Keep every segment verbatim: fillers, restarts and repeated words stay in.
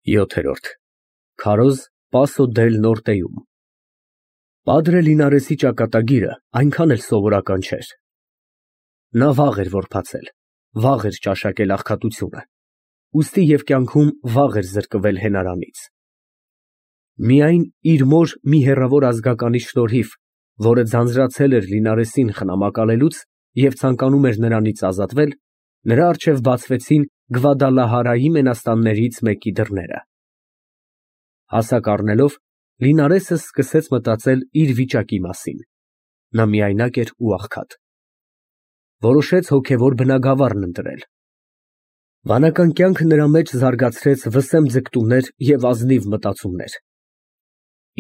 յոթ. Քարոզ Պասո դել Նորտեում Պադրե Լինարեսի ճակատագիրը այնքան էլ սովորական չէր. նա վաղ էր որբացել, վաղ էր ճաշակել աղքատությունը, ուստի և կյանքում վաղ էր զրկվել հենարանից։ Միայն իր մոր մի հեռավոր ազգականի շնորհիվ, որը ձանձրացել էր Լինարեսին խնամակալելուց և ցանկանում էր նրանից ազատվել, նրա առջև բացվեցին Գվադալահարայի մենաստաններից մեկի դռները։ Հասակ առնելով, Լինարեսը սկսեց մտածել իր վիճակի մասին. նա միայնակ էր ու աղքատ։ Որոշեց հոգևոր բնագավառն ընտրել։ Վանական կյանքը նրա մեջ զարգացրեց վսեմ ձգտումներ և ազնիվ մտածումներ։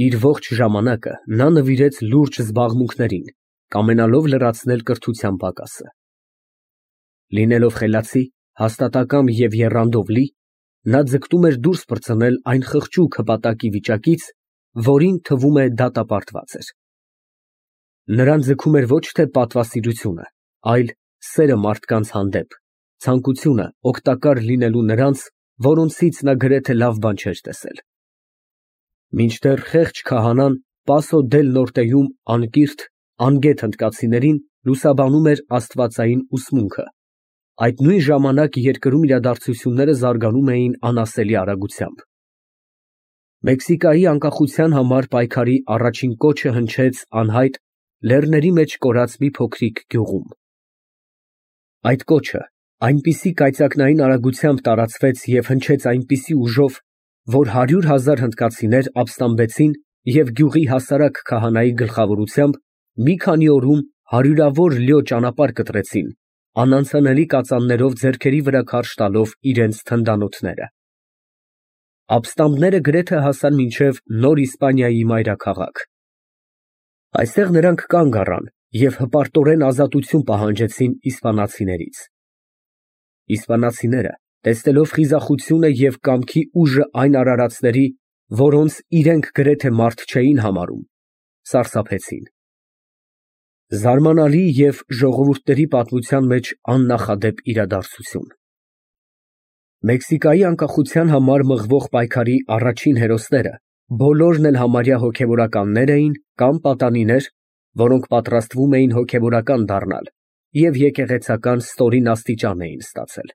Իր ողջ ժամանակը նա նվիրեց լուրջ զբաղմունքներին, կամենալով լրացնել կրթության պակասը։ Լինելով խելացի, հաստատակամ և եռանդով լի, նա ձգտում էր դուրս պրծնել այն խղճուկ հպատակի վիճակից, որին թվում է դատապարտված էր։ Նրան ձգում էր ոչ թե պատվասիրությունը, այլ սերը մարդկանց հանդեպ, ցանկությունը օգտակար լինելու նրանց, որոնցից նա գրեթե լավ բան չէր տեսել։ Մինչդեռ խեղճ քահանան Պասո դել Նորտեում անկիրթ, անգետ հնդկացիներին լուսաբանում էր աստվածային ուսմունքը, այդ նույն ժամանակ երկրում իրադարձությունները զարգանում էին անասելի արագությամբ։ Մեքսիկայի անկախության համար պայքարի առաջին կոչը հնչեց անհայտ, լեռների մեջ կորած մի փոքրիկ գյուղում։ Այդ կոչը այնպիսի կայծակնային արագությամբ տարածվեց և հնչեց այնպիսի ուժով, որ հարյուր հազար հնդկացիներ ապստամբեցին և գյուղի հասարակ քահանայի գլխավորությամբ մի քանի օրում հարյուրավոր լյո ճանապարհ կտրեցին, անանցանելի կածաններով ձեռքերի վրա քարշ տալով իրենց թնդանոթները։ Ապստամբները գրեթե հասան մինչև Նոր Իսպանիայի մայրաքաղաք։ Այստեղ նրանք կանգ առան և հպարտորեն ազատություն պահանջեցին իսպանացիներից։ Իսպանացիները, տեսնելով խիզախությունը և կամքի ուժը այն արարածների, որոնց իրենք գրեթե մարդ չէին համարում, սարսափեցին։ Զարմանալի և ժողովուրդների պատմության մեջ աննախադեպ իրադարձություն։ Մեքսիկայի անկախության համար մղվող պայքարի առաջին հերոսները բոլորն էլ համարյա հոգևորականներ էին կամ պատանիներ, որոնք պատրաստվում էին հոգևորական դառնալ և եկեղեցական ստորին աստիճան էին ստացել։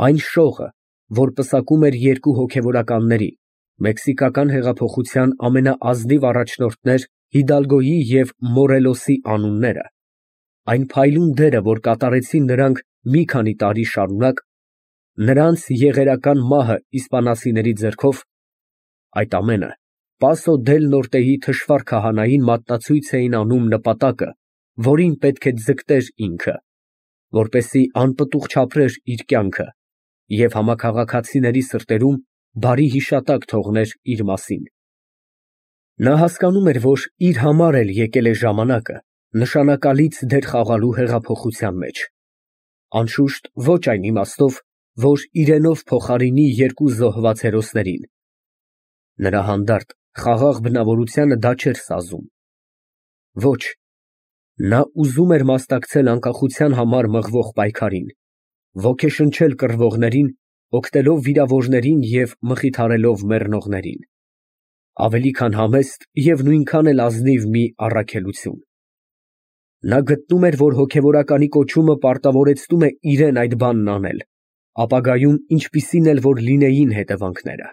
Այն շողը, որ պսակում էր երկու հոգևորականների, մեքսիկական հեղափոխության ամենաազնիվ առաջնորդներ Հիդալգոյի և Մորելոսի անունները, այն փայլուն դերը, որ կատարեցին նրանք մի քանի տարի շարունակ, նրանց եղերական մահը իսպանացիների ձեռքով, այդ ամենը Պասո դել Նորտեի թշվառ քահանային մատնացույց էին անում նպատակը, որին պետք է ձգտեր ինքը, որպեսզի անպտուղ չապրեր իր կյանքը և համաքաղաքացիների սրտերում բարի հիշատակ թողներ իր մասին։ Նա հասկանում էր, որ իր համար էլ եկել է ժամանակը նշանակալից դեր խաղալու հեղափոխության մեջ, անշուշտ, ոչ այն իմաստով, որ իրենով փոխարինի երկու զոհված հերոսներին։ Նրա հանդարտ, խաղաղ բնավորությանը դա չէր սազում։ Ոչ, նա ուզում էր մասնակցել անկախության համար մղվող պայքարին, ոգեշնչել կռվողներին, օգնելով վիրավորներին և մխիթարելով մեռնողներին։ Ավելի քան համեստ և նույնքան էլ ազնիվ մի առաքելություն։ Նա գտնում էր, որ հոգևորականի կոչումը պարտավորեցնում է իրեն այդ բանն անել, ապագայում ինչպիսին էլ որ լինեին հետևանքները։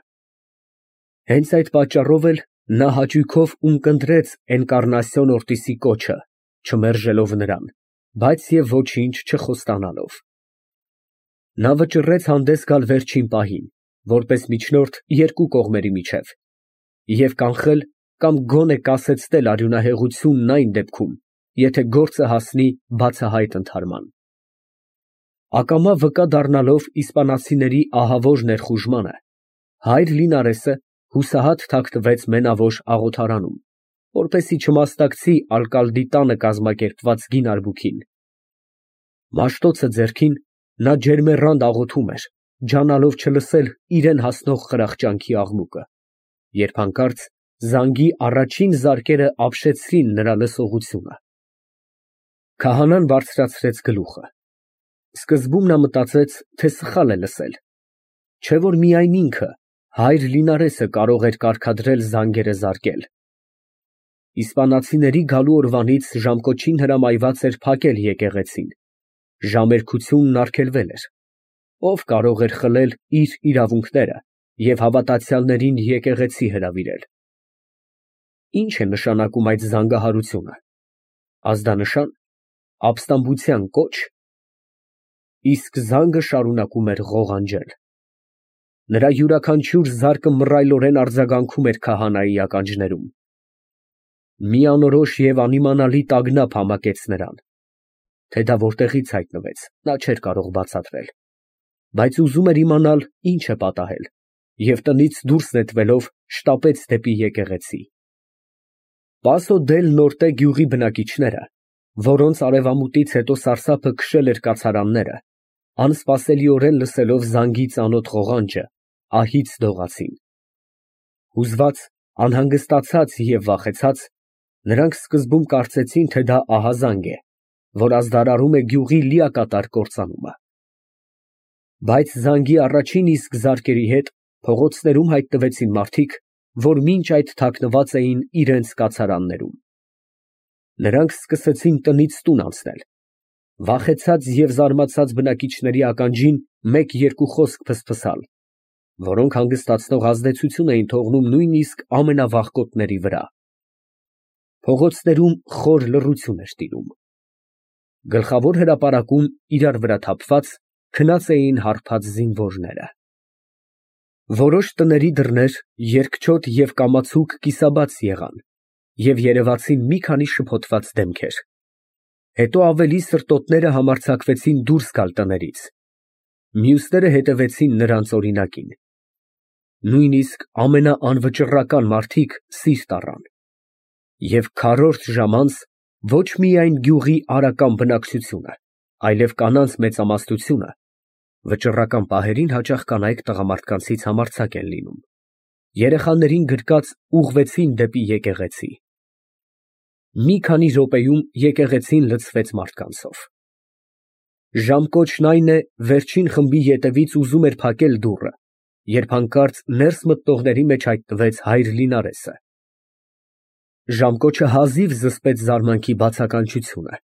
Հենց այդ պատճառով էլ նա հաճույքով ունկնդրեց Էնկառնասիոն Օրտիսի կոչը, չմերժելով նրան, բայց և ոչինչ չխոստանալով։ Նա վճռեց հանդես գալ վերջին պահին, որպես միջնորդ երկու կողմերի միջև, և կանխել կամ գոնե կասեցնել արյունահեղությունն այն դեպքում, եթե գործը հասնի բացահայտ ընդհարման։ Ակամա վկա դառնալով իսպանացիների ահավոր ներխուժմանը, հայր Լինարեսը հուսահատ թաքնվեց մենավոր աղոթարանում, որպեսզի չմասնակցի ալկալդի տանը կազմակերպված գին արբուքին։ Մաշտոցը ձեռքին, նա ջերմեռանդ աղոթում էր, ջանալով չլսել իրան հասնող խրախճանքի աղմուկը, երբ հանկարծ զանգի առաջին զարկերը ապշեցրին նրա լսողությունը։ Քահանան բարձրացրեց գլուխը։ Սկզբում նա մտածեց, թե սխալ է լսել, Չէ որ միայն ինքը, հայր Լինարեսը կարող էր կարգադրել զանգերը զարկել։ Իսպանացիների գալու օրվանից ժամկոչին հրամայված էր փակել եկեղեցին, ժամերկությունն արգելվել էր, ով կարող էր խլել իր իրավունքները և հավատացյալներին եկեղեցի հրավիրել։ Ինչ է նշանակում այդ զանգահարությունը, ազդանշան, ապստամբության կոչ, իսկ զանգը շարունակում էր ղողանջել։ Նրա յուրաքանչյուր զարկը մռայլորեն արձագանքում էր քահանայի ականջներում։ Մի անորոշ և անիմանալի տագնապ համակեց նրան, թե դա որտեղից հայտնվեց, նա չէր կարող բացատրել, բայց ուզում էր իմանալ ինչ է պատահել և տնից դուրս նետվելով շտապեց դեպի եկեղեցի։ Պասո դել Նորտե գյուղի բնակիչները, որոնց արևամուտից հետո սարսափը քշել էր կացարանները, անսպասելիորեն լսելով զանգի ծանոթ ղողանջը, ահից դողացին։ Հուզված, անհանգստացած և վախեցած, նրանք սկզբում կարծեցին, թե դա ահազանգ է, որ ազդարարում է գյուղի լիակատար կործանումը։ Բայց զանգի առաջին իսկ զարկերի հետ փողոցներում հայտնվեցին մարդիկ, որ մինչ այդ թաքնված էին իրենց կացարաններում։ Նրանք սկսեցին տնից տուն անցնել։ Վախեցած և զարմացած բնակիչների ականջին մեկ֊երկու խոսք ֆսֆսալ, որոնք հանգստացնող ազդեցություն էին թողնում նույնիսկ ամենավախկոտների վրա։ Փողոցներում խոր լռություն էր տիրում։ Գլխավոր հրապարակում, իրար վրա թափված, քնած էին հարբած զինվորները։ Որոշ տների դռներ երկչոտ և կամացուկ կիսաբաց եղան և երևացին մի քանի շփոթված դեմքեր։ Հետո ավելի սրտոտները համարձակվեցին դուրս գալ տներից։ Մյուսները հետևեցին նրանց օրինակին։ Նույնիսկ ամենաանվճռական մարդիկ սիրտ առան։ Եվ քառորդ ժամ անց ոչ միայն գյուղի արական բնակչությունը, այլև կանանց մեծամասնությունը (վճռական պահերին հաճախ կանայք տղամարդկանցից համարձակ են լինում) երեխաներին գրկած ուղղվեցին դեպի եկեղեցի։ Մի քանի րոպեում եկեղեցին լցվեց մարդկանցով։ Ժամկոչն այն է, վերջին խմբի ետևից ուզում էր փակել դուռը, երբ հանկարծ ներս մտնողների մեջ հայտնվեց հայր Լինարեսը։ Ժամկոչը հազիվ զսպեց զարմանքի բացականչությունը,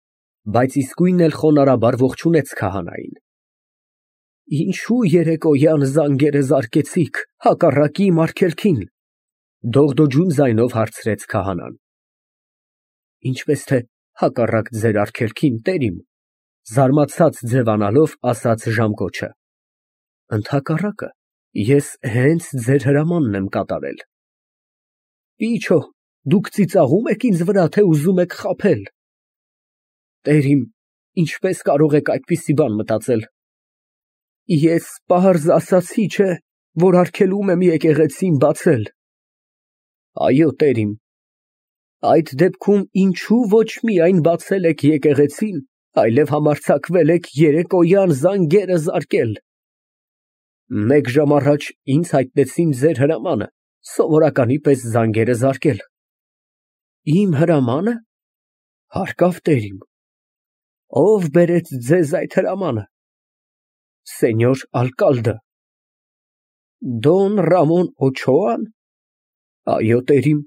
բայց իսկույն էլ խոնարհաբար ողջունեց քահանային։ Ինչո՞ւ երեկոյան զանգերը զարկեցիք հակառակի իմ արգելքին, դողդոջուն ձայնով հարցրեց քահանան։ Ինչպես թե հակառակ ձեր արգելքին, տերիմ, զարմացած ձևանալով ասաց ժամկոչը։ Ընդհակառակը, ես հենց ձեր հրամանն եմ կատարել։ Իչո, դուք ծիծաղո՞ւմ եք ինձ վրա, թե ուզում եք խաբել։ Տերիմ, ինչպես կարող եք այդպիսի բան մտածել։ Ես պարզ ասացի, չէ՞, որ արգելում եմ եկեղեցին բացել։ Այո, տերիմ։ Այդ դեպքում ինչու ոչ միայն բացել եք եկեղեցին, այլև համարձակվել եք երեկոյան զանգերը զարկել։ Մեկ ժամ առաջ ինձ հայտնեցին ձեր հրամանը սովորականի պես զանգերը զարկել։ Իմ հրամա՞նը։ Հարկավ, տերիմ։ Ո՞վ բերեց ձեզ այդ հրամանը։ Սենյոր ալկալդը։ Դոն Ռամոն Օչոա՞ն։ Այո, տերիմ,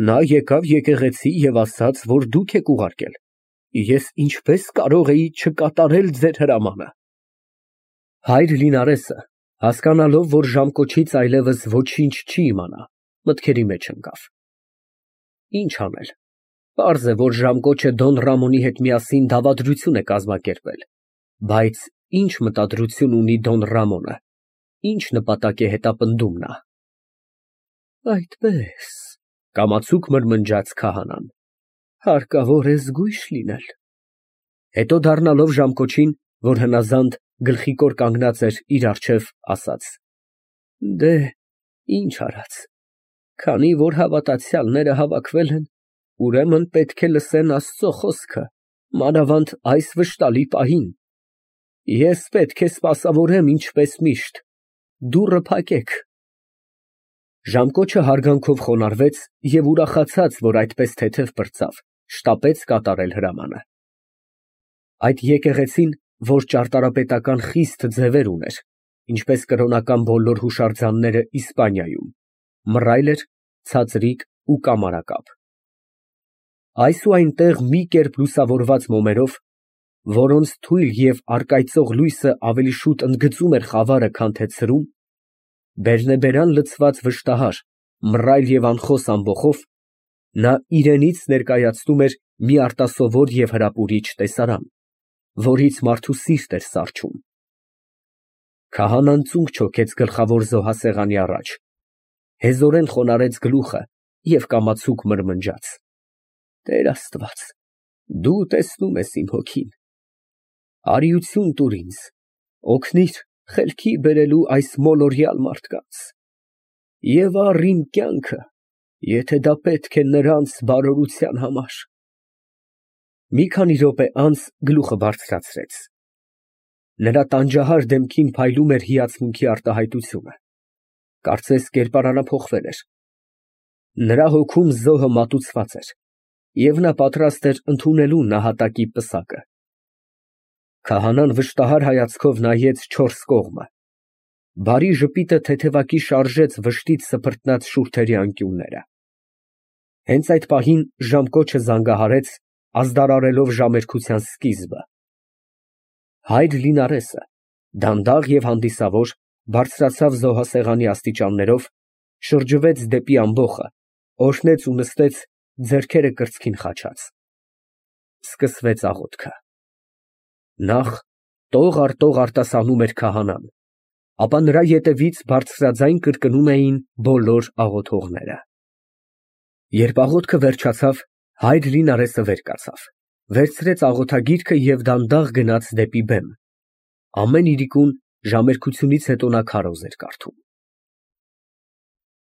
նա եկավ եկեղեցի և ասաց, որ դուք եք ուղարկել։ Ես ինչպես կարող էի չկատարել ձեր հրամանը։ Հայր Լինարեսը, հասկանալով, որ ժամկոչից այլևս ոչինչ չի իմանա, մտքերի մեջ ընկավ։ Ինչ անել։ Պարզ է, որ ժամկոչը Դոն Ռամոնի հետ միասին դավադրություն է կազմակերպել, բայց ինչ մտադրություն ունի Դոն Ռամոնը, ինչ նպատակ է հետապնդում նա։ Այդպես, կամացուկ մրմնջաց քահանան, հարկավոր է զգույշ լինել։ Հետո դառնալով ժամկոչին, որ հնազանդ գլխիկոր կանգնած էր իր առջև, ասաց. Դե, ինչ արած, քանի որ հավատացյալները հավաքվել են, ուրեմն պետք է լսեն Աստծո խոսքը, մանավանդ այս վշտալի պահին։ Ես պետք է սպասավորեմ ինչպես միշտ, դուռը փակեք։ Ժամկոչը հարգանքով խոնարհվեց և ուրախացած, որ այդպես թեթև պրծավ, շտապեց կատարել հրամանը։ Այդ եկեղեցին, որ ճարտարապետական խիստ ձևեր ուներ, ինչպես կրոնական բոլոր հուշարձանները Իսպանիայում, մռայլ էր, ցածրիկ ու կամարակապ։ Այս ու այնտեղ մի կերպ լուսավորված մոմերով, որոնց թույլ և առկայծող լույսը ավելի շուտ ընդգծում էր խավարը, քան թե ցրում, բերնեբերան լցված վշտահար, մռայլ և անխոս ամբոխով, նա իրենից ներկայացնում էր մի արտասովոր և հրապուրիչ տեսարան, որից մարդու սիրտ էր սառչում։ Քահանան ծունկ չոքեց գլխավոր զոհասեղանի առաջ, հեզորեն խոնարհեց գլուխը և կամացուկ մրմնջաց. «Տեր Աստված, դու տեսնում ես իմ հոգին, արիություն տուր ինձ, օգնիր խելքի բերելու այս մոլորյալ մարդկանց և առ իմ կյանքը, եթե դա պետք է նրանց բարօրության համար»։ Մի քանի րոպե անց գլուխը բարձրացրեց, նրա տանջահար դեմքին փայլում էր հիացմունքի արտահայտությունը, կարծես կերպարանափոխվել էր, նրա հոգում զոհը մատուցված էր, և նա պատրաստ էր ընդունելու նահատակի պսակը։ Քահանան վշտահար հայացքով նայեց չորս կողմը, բարի ժպիտը թեթևակի շարժեց վշտից սփռտնած շուրթերի անկյունները։ Հենց այդ պահին ժամկոչը զանգահարեց, ազդարարելով ժամերկության սկիզբը։ Հայր Լինարեսը, դանդաղ և հանդիսավոր, բարձրացավ զոհասեղանի աստիճաններով, շրջվեց դեպի ամբոխը, օրհնեց ու նստեց, ձեռքերը կրծքին խաչած։ Սկսվեց աղոթքը։ Նախ տող առ տող արտասանում էր քահանան, ապա նրա ետևից բարձրաձայն կրկնում էին բոլոր աղոթողները։ Երբ աղոթքը վերջացավ, հայր Լինարեսը վեր կացավ, վերցրեց աղոթագիրքը և դանդաղ գնաց դեպի բեմ։ Ամեն իրիկուն ժամերկությունից հետո նա քարոզ էր կարդում։